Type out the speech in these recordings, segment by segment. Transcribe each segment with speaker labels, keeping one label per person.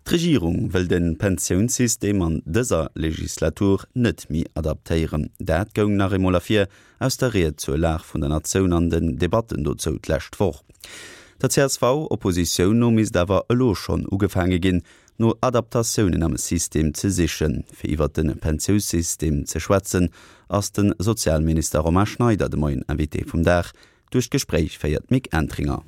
Speaker 1: D'Regierung wëll de Pensiounssystem an dëser Legislatur net méi adaptéieren. Dat goung nach eemol ervir aus der Ried zur Lag vun der Natioun an den Debatten dozou d'lescht Woch. Der CSV-Oppositioun no misst awer elo schonn ugefaange ginn, no Adaptatiounen am System ze sichen. Fir iwwert de Pensiousystem ze schwätzen, ass de Sozialminister Romain Schneider de Moien Invité vum Dag. Duerch d'Gespréich féiert d'Mick Entringer.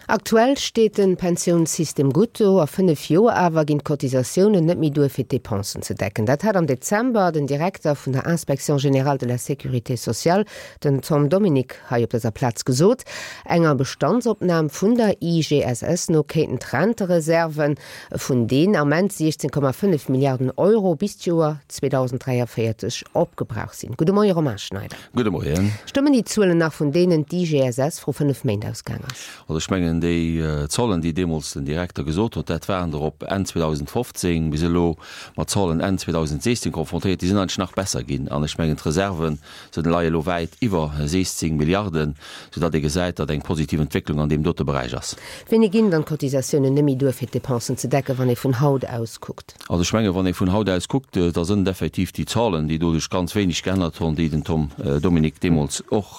Speaker 2: Aktuell steet de Pensiounssystem gutt do. A 5 Joer awer ginn d'Cotisatiounen net méi duer fir d'Depensen ze decken. Dat hat am Dezember den Direkter vun der Inspection générale de la sécurité sociale, den Tom Dominique, hei op dëser Plaz gesot. Enger Bestandsopnam vun der IGSS no kéinten d'Rentereserven vun deen Ament 16,5 Milliarden Euro bis d'Joer 2043 opgebraucht sinn. Gudde Moie Romain Schneider.
Speaker 3: Gudde Moien.
Speaker 2: Stëmmen déi Zuelen nach, vun deenen d'IGSS vru 5 Méint ausgaang ass?
Speaker 3: Also ech mengen, déi Zollen, déi deemools den Direkter gesot huet, dat waren der op Enn 2015 bis elo mat Zollen Enn 2016 konfrontéiert, déi sinn eigentlech nach besser ginn. An ech mengen, d'Reserven sinn leie elo wäit iwwer 16 Milliarden, soudatt ee gesäit, datt eng positiv Entwécklung an deem dote Beräich ass.
Speaker 2: Wéini ginn dann d'Cotisatiounen net méi duer, fir d'Depensen ze decken, wann ee vun haut aus kuckt?
Speaker 3: Also ech mengen, wann ee vun haut aus kuckt, da sënn et effektiv déi Zahlen, déi do sech ganz wéineg geännert hunn, déi den Tom Dominique deemools och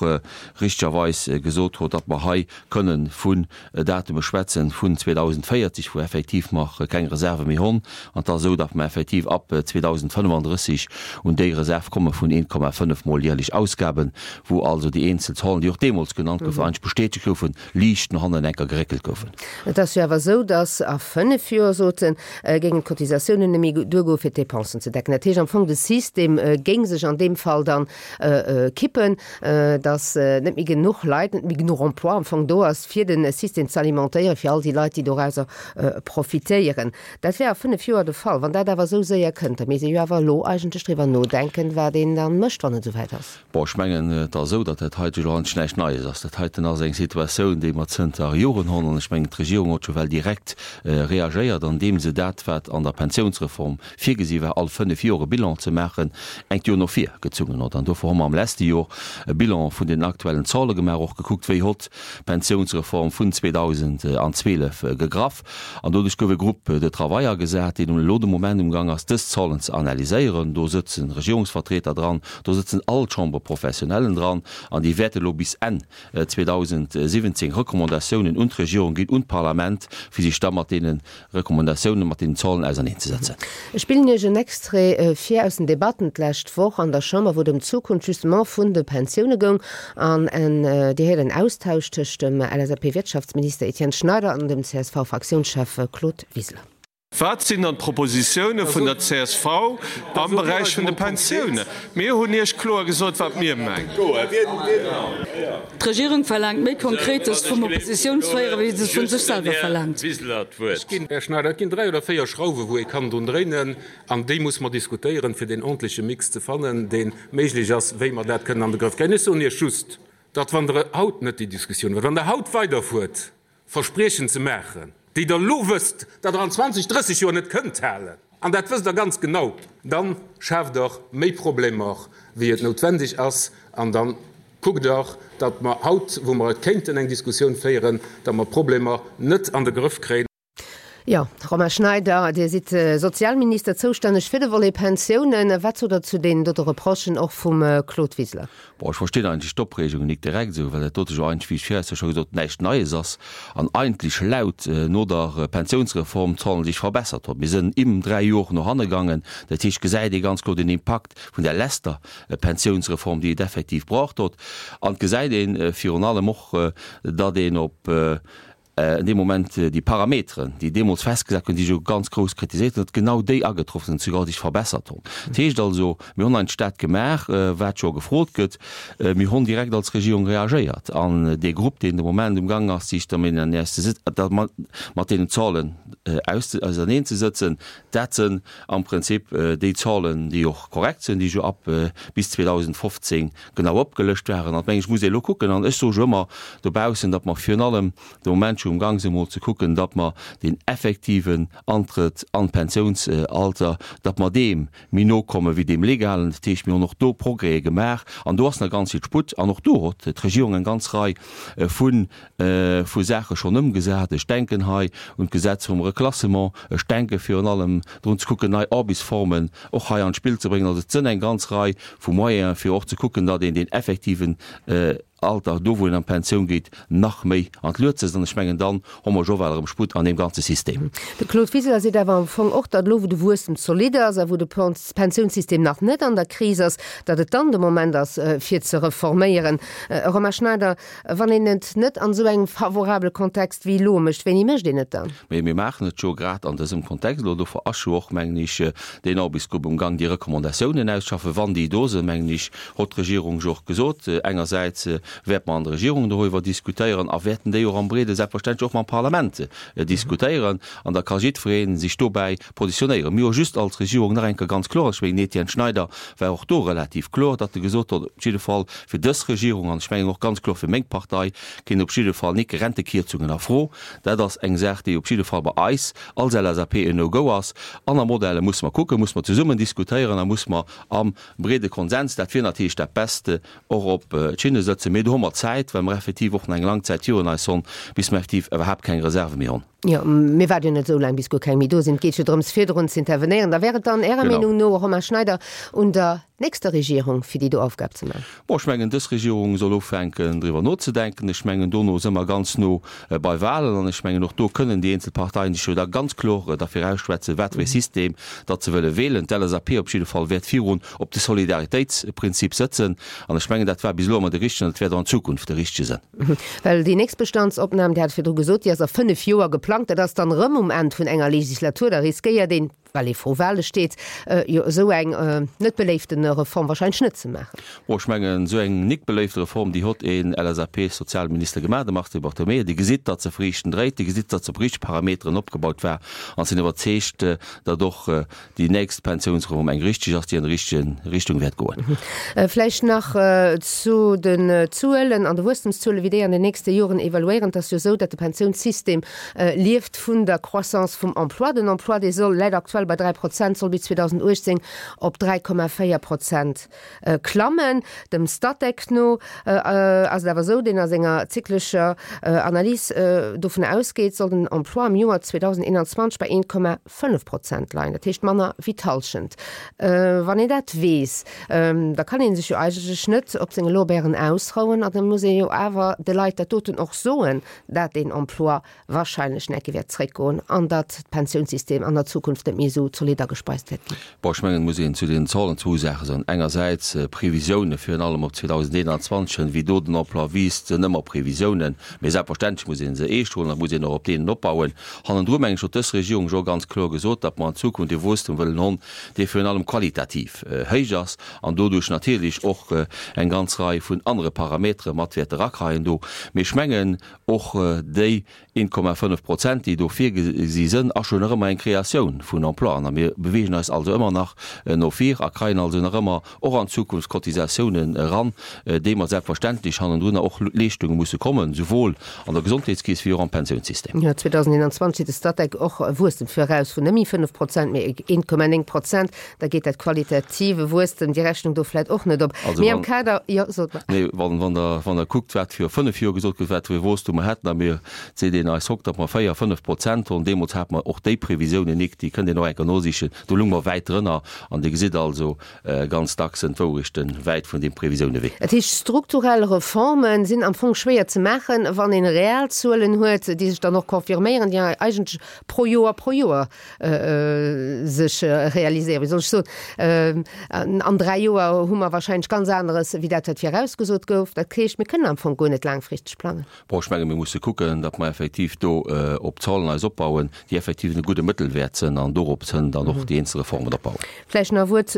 Speaker 3: richtegerweis gesot huet, datt mer hei kënnen vun Datume schwätzen vun 2040, wou effektiv mer keng Reserve méi honn, an et ass esou, datt mer effektiv ab 2035 un déi Reserv komme vun 1,5 mol jährlech Ausgaben, wou also déi eenzel Zahlen, déi och deemools genannt goufen, eigentlech bestätegt goufen, liicht no hannen enker geréckelt goufen.
Speaker 2: Et ass jo awer esou, datt a 5 Joer, sot en, géingen d'Cotisatiounen net méi duergoen, fir d'Depensen ze decken. Dat heescht am Fong, de System géing sech an deem Fall dann kippen, datt net méi genuch Leit, net méi genuch Emploi am Fong do ass, fir de System ze alimentéieren, fir all déi Leit, déi dorauser profitéieren. Dat wär a 5 Joer de Fall. Wann dat awer esou séier kënnt, da misst ee jo awer elo eigentlech driwwer nodenken, wat een da mécht, wann et esouwäit ass.
Speaker 3: Bon, ech mengen, et ass esou, datt dat heite jo eigentlech näischt Neies ass. Dat heiten ass eng Situatioun, déi mer zënter Joren hunn. An ech mengen, d'Regierung huet scho well direkt reagéiert, andeem se dat, wat an der Pensiounsreform virgesi war, all fënnf Joer e Bilan ze maachen, engt Joer no vir gezungen huet. An dofir hu mer am leschte Jor e Bilan vun den aktuellen Zale gemaach, och gekuckt, wéi hott d'Pensiounsreform vun 2012 gegraff. An doduerch gouf e Groupe de travail agesat, deen elo de Moment umgang ass, dës Zahlen ze analyséieren. Do sëtze Regierungsvertreter dran, do sëtzen all d'Chambres-professionnellen dran an déi wäerte elo bis Enn 2017 Recommandatiounen un d'Regierung ginn, un d'Parlament, fir sech da mat deene Recommandatiounen, mat deenen Zahlen auserneenzesetzen.
Speaker 2: Ech spillen Iech en Extrait vir aus den Debatten d'lescht Woch an der Chamber, wou et ëm d'Zukunft justement vun de Pensioune goung. An Dir héiert en Austausch tëscht dem LSAP-Wirtschaftsminister Etienne Schneider an dem CSV-Fraktiounschef Claude Wiseler.
Speaker 4: Wat sinn dann d'Propositioune vun der csv am Beräich vun de Pensioune? Mir hunn Iech kloer gesot, wat mir mengen.
Speaker 5: D'Regierung verlaangt méi Konkretes vum Oppositiounsféierer, wéi se et vu sech selwer verlaangt.
Speaker 6: Här Schneider, et ginn 3 oder 4 Schrauwe wou ee kann drun dréinen, an déi musse mer diskutéieren, fir deen ordentleche Mix ze fannen, dee méiglech ass, wéi mer dat kënnen an de Grëff kréien. Ech soen Iech just, datt wann Der haut net déi Diskussioun huelt, wann Der haut weiderfuert Verspriechen ze maachen, déi Der elo wësst, datt Der an 20, 30 Joer net kënnt halen, an dat wësst Der ganz genau, da schaaft Der méi Problemer, wéi et noutwendeg ass. An da kuckt Der, datt mer haut, wou mer et kéinten eng Diskussioun féieren, datt mer d'Problemer net an de Grëff kréien.
Speaker 2: Jo, Romain Schneider, Dir sidd Sozialminister, zoustänneg fir de Volet Pensiounen. Wat sot Der zu deenen dote Reprochen och vum Claude Wiseler?
Speaker 3: Bon, ech verstinn eigentlech d'Opreegung nik direkt esou, well dat dote jo eigentlech, wéi ech virhester scho gesot hunn, näischt Neies ass an eigentlech laut no der Pensiounsreform d'Zahlen sech verbessert hunn. Mir sënn im 3 Jor no hanne gaangen. Dat heescht, gesäit ee ganz kloer den Impakt vun där lester Pensiounsreform, déi et effektiv braucht huet. An et gesäit ee virun allem och, datt een op En dee Moment déi Parameteren, déi deemools festgesat goufen, déi jo ganz grouss kritiséiert hunn, datt genau déi agetroff sinn, souguer sech verbessert hunn. Dat heescht also, mir hunn eigentlech dat gemaach, wat jo gefrot gëtt. Mir hunn direkt als Regierung reagéiert. An dee Grupp, deen de Moment umgang ass, sech mat deenen Zahlen auserneenzesëtzen, dat sënn am Prinzip déi Zahlen, déi och korrekt sinn, déi jo ab bis 2015 genau opgelëscht waren. An, meng ech, muss ee elo kucken, an ech soe jo ëmmer dobaussen, datt mer virun allem de Moment scho umgang sinn, emol ze kucken, datt mer deen effektiven Antrëtt an d'Pensiounsalter, datt mer deem méi no komme wéi deem legalen. Dat heescht, mir hunn och do Progrèse gemaach an do ass nach ganz vill Sputt an och do huet d'Regierung eng ganz Rei vu vu Saache schonn ëmgesat. Ech denken hei un d'Gesetz vum. Reklassement, ech denke virun allem drun ze kucken, nei Aarbechtsformen och hei an d'Spill ze bréngen. Also et sënn eng ganz Rei vu Moyenen, fir och ze kucken, datt een deen effektiven Alter, do wou een an d'Pensioun geet, nach méi an d'Luet sëtzt. An ech mengen, dann hu mer jo well erëm Sputt an deem ganze System.
Speaker 2: De Claude Wiseler seet awer am Fong och, datt elo wou de Wuesstem zolidd ass a wou de Pensiounssystem nach net an der Kris ass, datt et dann de Moment ass fir ze reforméieren. Romain Schneider, Wann een et net an esou engem favorabele Kontext wéi elo mécht, wéini mécht een et dann?
Speaker 3: Mee mir maachen et jo grad an dësem Kontext elo. Dofir ass jo och, mengen ech, deen Aarbechtsgrupp um Gang, déi Recommandatiounen auszeschaffen. Wann déi do sinn, mengen ech, hott d'Regierung jo och gesot, engersäits wäerte mer an der Regierung doriwwer diskutéieren a wäerten déi och am Breede selbstverständlech och mam Parlament diskutéieren. An da ka jiddweree sech dobäi positionéieren. Mir hu just als Regierung nach eng Kéier ganz kloer, ech mengen, den Etienne Schneider war och do relativ kloer, datt e gesot huet, op jidde Fall fir dës Regierung, an ech mengen och ganz kloer fir meng Partei, kinn op jidde Fall nik Rentekierzungen a Fro. Dat ass eng Saach, déi op jidde Fall bei eis als LSAP en No-Go ass. Aner Modelle musse mer kucken, musse mer zesummen diskutéieren a musse mer am breede Konsens, dat wier natierlech dat Beste, och op d'Schinne sëtzen. Mee do hu mer Zäit, well mer effektiv och nach eng lang Zäit virun eis honn, bis mer effektiv iwwerhaapt keng Reserve méi honn.
Speaker 2: Jo, mir waarde jo net esou laang, bis guer keng méi do sinn. Et geet jo drëms, virdrun ze intervenéieren. Da wär et dann Ärer Meenung no, Romain Schneider, un der nächster Regierung, fir déi do Aufgab ze maachen?
Speaker 3: Bon, ech mengen, dës Regierung soll ufänken, driwwer nozedenken. Ech mengen, dono si mer ganz no bei Wahlen. An ech mengen, och do kënnen déi eenzel Parteien sech jo da ganz kloer derfir ausschwätzen, wat fir ee System datt se wëlle wählen. D'LSAP op jidde Fall wäert virun op de Solidaritéitsprinzip sëtzen. An ech mengen, dat war bis elo ëmmer de richtegen an et wäert och an Zukunft de richtege sënn.
Speaker 2: Well déi nächst Bestandsopnam, Dir hat et virdru gesot, déi ass a fënnef Joer geplangt. Dat ass dann erëm um Enn vun enger Legislatur. Da riskéiert een, well ee vru Wahle steet, jo esou eng net beléifte Reform wahrscheinlech net ze maachen.
Speaker 3: Bon, ech mengen, esou eng nik beléifte Reform, déi hott een LSAP-Sozialminister gemaach, de Mars Di Bartolomeo. Dir gesitt, datt se friichten dréit, Dir gesitt, datt se op richteg Parameteren opgebaut war an sinn iwwerzeegt, datt och déi nächst Pensiounsreform eng richteg ass, déi an déi richteg Richtung wäert goen.
Speaker 2: Vläicht nach zu den Zuelen an de Wuesstemszuelen, wéi déi an den nächste Joren evaluéieren. Et ass jo esou, datt de Pensiounssystem lieft vun der Croissance vum Emploi. Den Emploi, dee soll, läit aktuell bei 3 Prozent, soll bis 2018 op 3,4 Prozent klammen. Dem Statec no ass et awer esou, deen a senger zyklescher Analys dovun ausgeet, soll den Emploi am Joer 2021 bei 1,5 Prozent leien, dat heescht manner wéi d'Hallschent. Wann een dat weess, da kann ee sech jo eigentlech net op senge Lorbeeren ausrouen a da muss ee jo awer de Leit dat doten och soen, dat deen Emploi wahrscheinlech necke wäert zréckgoen an datt d'Pensiounssystem an der Zukunft net méi esou zolidd agespeist wäert ginn.
Speaker 3: Bon, ech mengen, et muss een zu deenen Zahlen zwou Saache soen. Engersäits Previsiounen, virun allem op 2021 hin, wéi do den Emploi wiisst, sënn ëmmer Previsiounen, mee selbstverständlech muss ee se eescht huelen a muss een och op deenen opbauen. Hannendru mengen ech, huet dës Regierung jo ganz kloer gesot, datt mer an Zukunft e Wuesstum wëllen honn, dee virun allem qualitativ héich ass an doduerch natierlech och eng ganz Rei vun anere Parametere mat wäert erakreien do. Mee ech mengen, Och déi 1,5 Prozent, déi do virgesi sënn, ass jo nach ëmmer eng Kreatioun vun Emploien. A mir beweegen eis also ëmmer nach no vir a kreien also nach ëmmer och an Zukunft Cotisatiounen eran, déi mer selbstverständlech hannendrunner och Leeschtunge musse kommen, souwuel an der Gesondheetskeess wéi och am Pensiounssystem.
Speaker 2: Jo, 2021 seet de Statec och e Wuesstem viraus vun net méi 5 Prozent, mee 1,9 Prozent. Da geet dat qualitative Wuesstem, déi Rechnung do vläit och net op.
Speaker 3: Also
Speaker 2: Mee am
Speaker 3: wann,
Speaker 2: Kader, jo, sot mer.
Speaker 3: nee, wann, wann Der, wann Der kuckt, wat viru fënnf Joer gesot gouf, wat fir e Wuesstum mer hätten, a mir, seet een eis hokt, datt mer 4, 5 Prozent hunn, deemools hate mer och déi Previsiounen nik, déi kënnt een och eng Kéier nosichen, do lung mer wäit drënner. An Dir gesitt also, ganz dacks sënn d'Wourechte wäit vun deem Previsiounen ewech.
Speaker 2: Dat heescht, strukturell Reforme sinn am Fong schwéier ze maachen, wann een real Zuelen huet, déi sech dann och confirméieren, déi eigentlech pro Joer pro Joer sech realiséieren. Wéi soll ech soen, an 3 Joer hu mer wahrscheinlech ganz aneres wéi dat wat virausgesot gouf. Dat heescht, mir kënnen am Fong guer net laangfristeg plangen.
Speaker 3: Bon, ech menge mir musse kucken, datt mer effektiv do op Zahlen eis opbauen, déi effektiv e gudde Mëttelwäert sënn an dorop sënn dann och déi eenzel Reformen opbauen.
Speaker 2: Vläicht nach e Wuert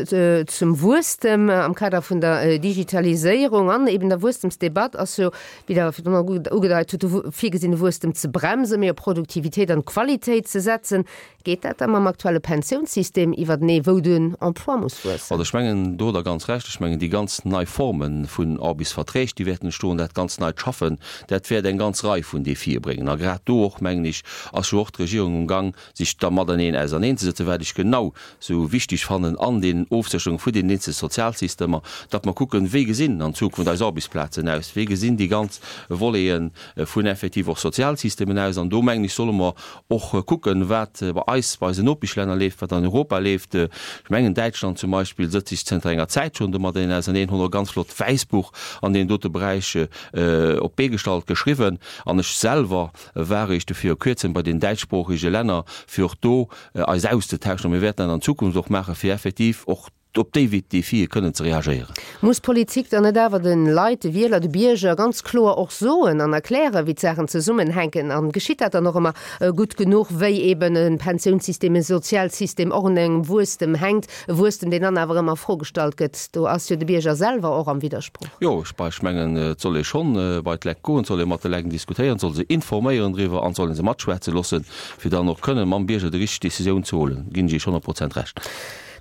Speaker 2: zum Wuesstem. Am Kader vun der Digitaliséierung an eben der Wuesstemsdebatt ass jo, wéi Der virdrun ugedeit hutt, de virgesinne Wuesstem ze bremsen, méi op Produktivitéit an Qualitéit ze setzen. Geet dat da mam aktuelle Pensiounssystem iwwertenee, wou den Emploi muss wuessen?
Speaker 3: Also ech mengen, do hutt Der ganz Recht. Ech mengen, déi ganz nei Forme vun Aarbechtsverträg, déi wäerten entstoen, dat ganz neit Schaffen, dat wäert eng ganz Rei vun Defie bréngen. A grad do och, mengen ech, ass jo och d'Regierung um Gang, sech da mateneen auserneenzesetzen. zesummenzesëtzen, wat ech genau sou wichteg fannen an deenen Ofsécherunge vun deenen eenzele Sozialsystemer, datt mer kucken, wéi gesinn an Zukunft eis Aarbechtsplazen aus, wéi gesinn déi ganz Volete vun effektiv och Sozialsystemen aus. An do, mengen ech, solle mer och kucken, wat bei eis, bei eisen Nopeschlänner leeft, wat an Europa leeft. Ech mengen, Däitschland zum Beispill sëtzt sech zënter enger Zäit schonn domadden auserneen, hunn och e ganz flott Wäissbuch an deem dote Beräich op d'Bee gestallt, geschriwwen. An ech selwer war eréischt viru Kuerzem bei den däitschsproochege Länner, fir och do eis auszetauschen. A mir wäerten dat an Zukunft och maachen, fir effektiv och op déi Defie kënnen ze reagéieren.
Speaker 2: Muss d'Politik dann net awer de Leit, de Wieler, de Bierger ganz kloer och soen an erklären, wéi d'Saachen zesummenhänken? An geschitt dat dann och ëmmer gutt genuch, wéi eben e Pensiounssystem, e Sozialsystem och un engem Wuesstem hänkt, e Wuesstem, deen dann awer ëmmer a Fro gestallt gëtt? Do ass jo de Bierger selwer och am Widdersproch.
Speaker 3: Jo, ech mengen, et soll ee schonn bei d'Lekt goen, et soll ee mat de Lekt diskutéieren, et soll se informéieren driwwer an et soll ee se matschwätze loossen, fir dann och kënnen mam Bierger déi richteg Décisioun ze huelen. Ginn ech Iech 100 Prozent Recht.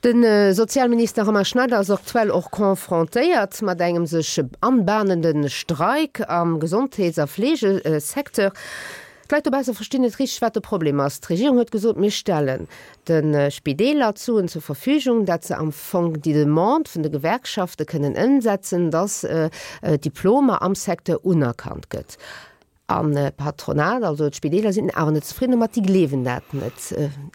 Speaker 2: De Sozialminister Romain Schneider ass aktuell och confrontéiert mat engem sech anbahnende Streik am Gesondheets a Fleegesecteur. D'Leit dobausse verstinn net richteg, wat de Problem ass. D'Regierung huet gesot, mir stellen de Spideeler d'Suen zur Verfügung, dat se am Fong déi Demande vun de Gewerkschafte kënnen ëmsetzen, datt d'Diplomer am Secteur unerkannt gëtt. An d'Patronat, also d'Spideeler sinn awer net zefridden domat, déi gleewen dat net.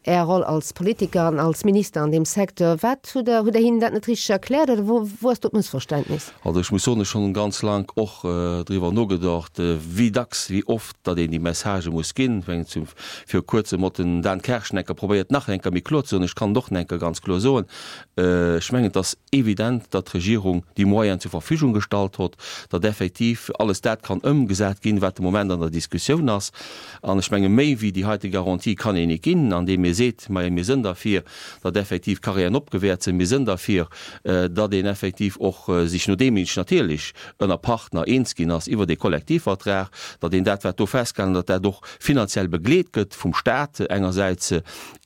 Speaker 2: Är Roll als Politiker an als Minister an deem Secteur, wat hutt Der, hutt Der hinnen dat net richteg erkläert oder wou, wou ass do d'Mëssverständnis?
Speaker 3: Also ech muss soen, ech hunn ganz laang och driwwer nogedacht, wéi dacks, wéi oft datt een déi Messagë muss ginn. Ech mengen, zum viru kuerzem hott den Dan Kersch enker probéiert nach enker méi kloer ze soen. Ech kann et och enker ganz kloer soen, Ech mengen, et ass evident, datt d'Regierung déi Moyenen zur Verfügung gestallt hott, datt effektiv alles dat kann ëmgesat ginn, wat de Moment an der Diskussioun ass. An ech menge méi wéi déi heite Garantie kann een net ginn, andeem ee seet, Majo, mir sënn derfir, datt effektiv Carrièren opgewäert sinn, mir sënn derfir, datt een effektiv och sech, nodeem een sech natierlech ënner Partner eens ginn ass iwwert ee Kollektivvertrag, datt een dat, wat do festgehalen, datt dat och finanziell begleet gëtt vum Stat engersäits,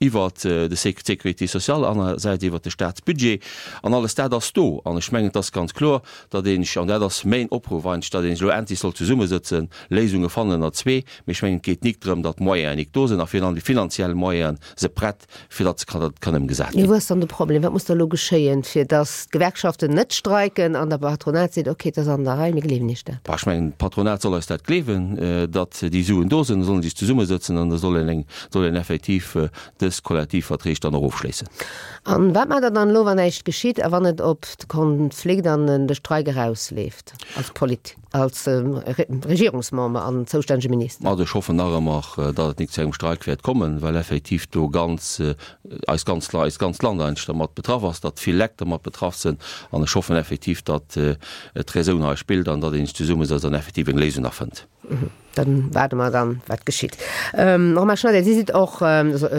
Speaker 3: iwwert de d'Sécurité sociale, anerersäits iwwert de Statsbudget, an alles dat ass do. An ech mengen, et ass ganz kloer, datt een sech, an dat ass mäin Opruff eigentlech, datt een sech elo endlech soll zesummesëtzen, Léisunge fannen ënner zwee. Mee ech mengen, et geet nik drëm, datt d'Moyenen nik do sinn, a virun allem déi finanziell Moyenen se prett, fir datt se kann, datt et kann ëmgesat
Speaker 2: ginn. Wou ass dann de Problem? Wat muss da elo geschéien, fir datt d'Gewerkschaften net streiken an der Patronat seet, okay, et ass an der Rei, mir gleewen Iech dat?
Speaker 3: Bah, ech mengen, d'Patronat soll eis dat gleewen, datt déi Suen do sinn. Da sollen se sech zesummesëtzen an da soll een eng soll een effektiv dës Kollektivverträg dann och ofschléissen.
Speaker 2: A wat maacht Der dann elo, wann näischt geschitt a wann et op de Konflikt an de Streik erausleeft, als Polit-, als Regierungsmember an zoustännege Minister?
Speaker 3: Also ech hoffen nach ëmmer, datt et nik zu engem Streik wäert kommen, well effektiv do ganz, eist ganz, eist ganzt Land eigentlech dermat betraff ass, datt vill Lekt dermat betraff sinn. An ech hoffen effektiv, datt d'Räsoun hei spillt an datt een sech zesummesetzt an effektiv eng Léisung nach fënnt.
Speaker 2: Dann waarde mer dann, wat geschitt. Romain Schneider, Dir sidd och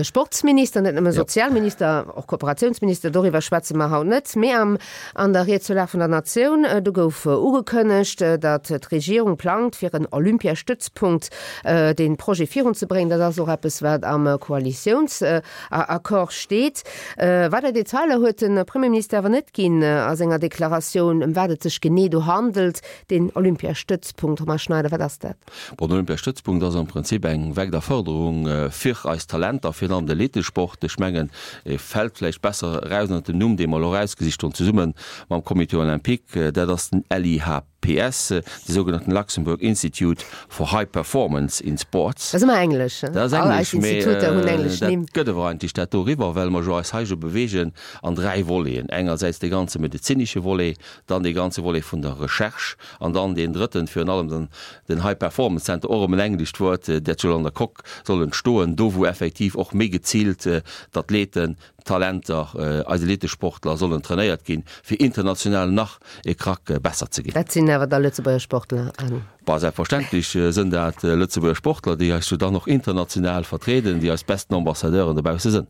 Speaker 2: Sportsminister, net nëmme Sozialminister, och Kooperatiounsminister, doriwwer schwätze mer haut net, mee am an der Ried zur Lag vun der Natioun, do gouf ugekënnegt, datt d'Regierung plangt, fir en Olympiastützpunkt, dee Projet virunzebréngen. Dat ass och eppes, wat am Koalitiounsaccord steet. Weider Detailer huet de Premierminister awer net ginn a senger Deklaratioun, ëm wat et sech genee do handelt. Deen Olympiastëtzpunkt, Romain Schneider, wat ass dat?
Speaker 3: Bon, den Olympiastëtzpunkt ass am Prinzip eng weider Fërderung fir eis Talenter, virun allem de Leetesport. Ech mengen, e fält vläicht besser eraus ënnert dem Numm, dee mer elo erausgesicht hunn, zesumme mam Comité olympique, dat ass den LIHPS, de sougenannten Luxembourg Institute for High Performance in Sports.
Speaker 2: Dat ass ëmmer Englesch,
Speaker 3: he? Dat ass All eis Englesch, mee Instituter hunn englesch dat Nimm. gëtt awer eigentlech dat doriwwer, well mer jo eis hei jo beweegen an dräi Voleten, engersäits dee ganze medezinesche Volet, dann dee ganze Volet vun der Recherche an dann deen drëtten, virun allem den, den High Performance Center, och erëm en englescht Wuert, dat soll an der Coque soll entstoen, do wou effektiv och méi geziilt d'Athleten, d'Talenter, eis Elitesportler sollen trainéiert ginn, fir international nach e Krack besser ze ginn.
Speaker 2: Dat sinn awer da Lëtzebuerger Sportler an.
Speaker 3: Bah, selbstverständlech sënn dat Lëtzebuerger Sportler, déi eis jo dann och international vertrieden, déi eis besten Ambassadeuren dobausse sënn.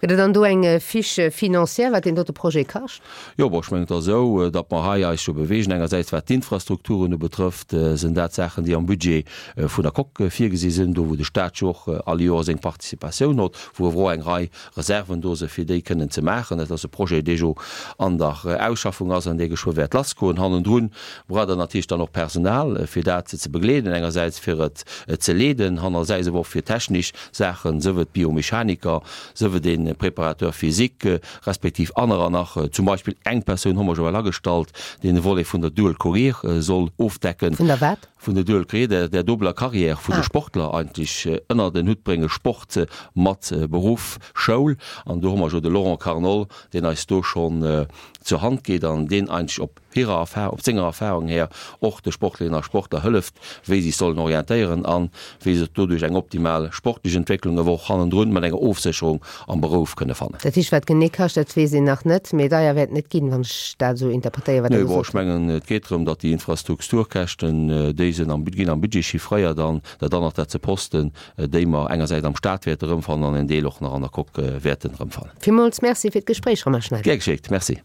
Speaker 2: Gëtt et dann do eng Fiche financière, wat deen dote Projet kascht?
Speaker 3: Jo, bon, ech mengen, et ass esou, datt mer hei eis jo beweegen. Engersäits wat d'Infrastrukturen ubetrëfft, sinn dat Saachen, déi am Budget vun der Coque virgesi sinn, do wou de Stat jo och all Joer seng Participatioun hott, wou awer och eng Rei Reserven do sinn, fir. fir déi kënnen ze maachen. Dat ass e Projet, dee jo an der Ausschaffung ass an dee geschwë wäert lassgoen. Hannendrun braucht Der natierlech dann och Personal, fir dat ze begleeden, engersäits fir et ze leeden, hannersäits awer och fir technesch Saachen, sëf et Biomechaniker, sëf et e Préparateur physique, respektiv anerer nach. Zum Beispill eng Persoun hu mer jo well agestallt, deen de Volet vun der Dual Career soll ofdecken.
Speaker 2: Vun der wat?
Speaker 3: Vun der Dual Career, der dobeler Carrière vun de Sportler eigentlech ënnert en Hutt bréngen, Sport mat Beruff, Schoul. An do hu mer jo de Laurent Carnol, deen eis do schonn zur Hand geet an deen eigentlech op hirer Erfahrung, op senger Erfahrung här och de Sportlerinnen a Sportler hëlleft, wéi si sech sollen orientéieren an wéi se doduerch eng optimal sportlech Entwécklung awer och hannendrun mat enger Ofsécherung am Berouf kënne fannen.
Speaker 2: Dat heescht, wat genee kascht, dat weess een nach net, mee deier wäert et net ginn, wann ech dat esou interpretéieren, wat Der
Speaker 3: Nee, bon,
Speaker 2: gesot
Speaker 3: ech mengen, et geet drëm, datt déi Infrastrukturkäschten, déi sinn am, ginn am Budget chiffréiert an dat anert, dat se Posten, déi mer engersäits am Stat wäerte erëmfannen an en Deel och nach an der Coque wäerten erëmfannen.
Speaker 2: Villmools Merci fir d'Gespréich, Romain Schneider.
Speaker 3: Gär geschéckt. Merci.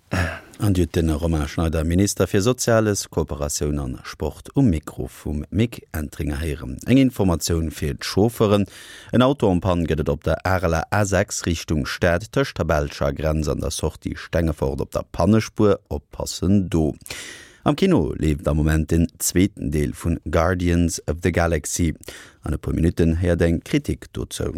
Speaker 1: An Dir hutt de Romain Schneider, Minister fir Soziales, Kooperatioun an Sport um Mikro vum Mick Entringer héieren. Eng Informatioun fir d'Chauffeuren, En Auto en panne gëtt et op der Areler A6 Richtung Stad tëscht der belscher Grenz an der Sortie Stengefort op der Pannespuer. Oppassen do! Am Kino leeft am Moment den zweeten Deel vun Guardians of the Galaxy. An e puer Minutten héiert eng Kritik dozou.